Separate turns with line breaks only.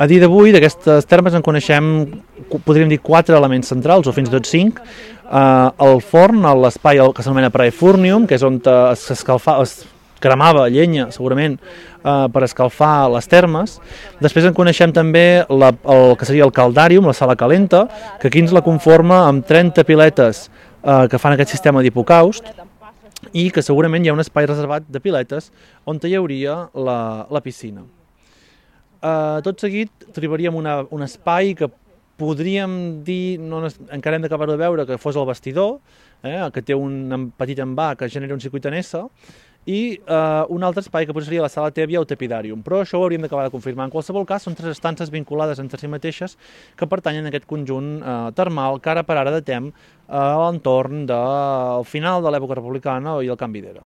A dia d'avui, d'aquestes termes en coneixem, podríem dir, 4 elements centrals, o fins i tot 5. El forn, l'espai que s'anomena praefurnium, que és on es cremava llenya, segurament, per escalfar les termes. Després en coneixem també el que seria el caldarium, la sala calenta, que aquí ens la conforma amb 30 piletes que fan aquest sistema d'hipocaust, i que segurament hi ha un espai reservat de piletes on hi hauria la piscina. Tot seguit trobaríem un espai que podríem dir, encara hem d'acabar de veure, que fos el vestidor, que té un petit envà que genera un circuit en S, i un altre espai que seria la sala tèbia o tepidàrium, però això ho hauríem d'acabar de confirmar. En qualsevol cas, són 3 estances vinculades entre si mateixes que pertanyen a aquest conjunt termal que ara per ara datem a l'entorn del final de l'època republicana i el canvi d'era.